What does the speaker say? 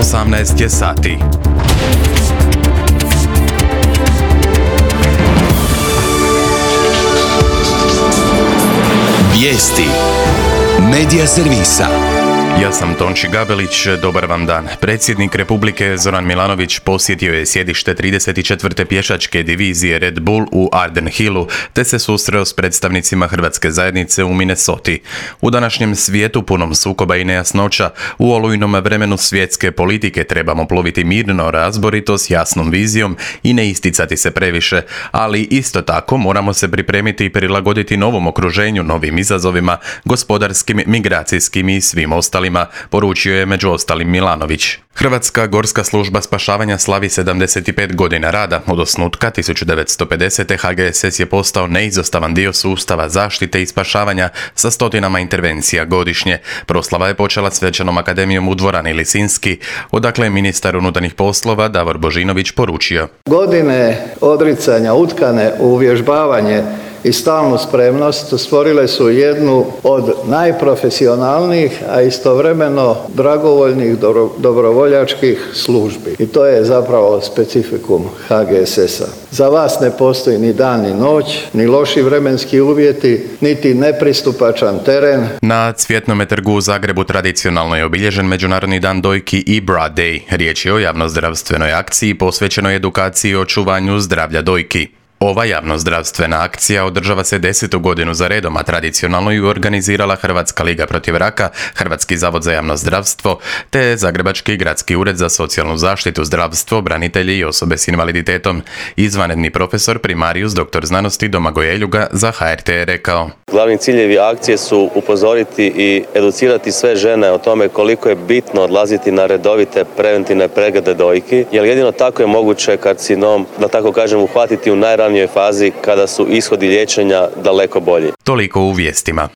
18 je sati. Vijesti Medija servisa. Ja sam Tonči Gabelić, dobar vam dan. Predsjednik Republike Zoran Milanović posjetio je sjedište 34. pješačke divizije Red Bull u Arden Hillu, te se susreo s predstavnicima hrvatske zajednice u Minnesoti. U današnjem svijetu punom sukoba i nejasnoća, u olujnom vremenu svjetske politike trebamo ploviti mirno, razborito, s jasnom vizijom i ne isticati se previše, ali isto tako moramo se pripremiti i prilagoditi novom okruženju, novim izazovima, gospodarskim, migracijskim i svim ostalim, poručio je među ostalim Milanović. Hrvatska gorska služba spašavanja slavi 75 godina rada. Od osnutka 1950. HGSS je postao neizostavan dio sustava zaštite i spašavanja sa stotinama intervencija godišnje. Proslava je počela svečanom akademijom u dvorani Lisinski, odakle je ministar unutarnjih poslova Davor Božinović poručio: Godine odricanja utkane u uvježbavanje i stalnu spremnost stvorile su jednu od najprofesionalnijih, a istovremeno dragovoljnih dobrovoljačkih službi. I to je zapravo specifikum HGSS-a. Za vas ne postoji ni dan ni noć, ni loši vremenski uvjeti, niti nepristupačan teren. Na Cvjetnome trgu u Zagrebu tradicionalno je obilježen Međunarodni dan dojki i Bra Day. Riječ je o javnozdravstvenoj akciji posvećenoj edukaciji i očuvanju zdravlja dojki. Ova javnozdravstvena akcija održava se 10. godinu za redom, a tradicionalno ju organizirala Hrvatska liga protiv raka, Hrvatski zavod za javno zdravstvo, te Zagrebački gradski ured za socijalnu zaštitu, zdravstvo, branitelji i osobe s invaliditetom. Izvanredni profesor primarijus dr. znanosti Domagoj Eljuga za HRT je rekao: Glavni ciljevi akcije su upozoriti i educirati sve žene o tome koliko je bitno odlaziti na redovite preventivne preglede dojki, jer jedino tako je moguće karcinom, da tako kažem, uhvatiti u najranijoj fazi kada su ishodi liječenja daleko bolji. Toliko u vijestima.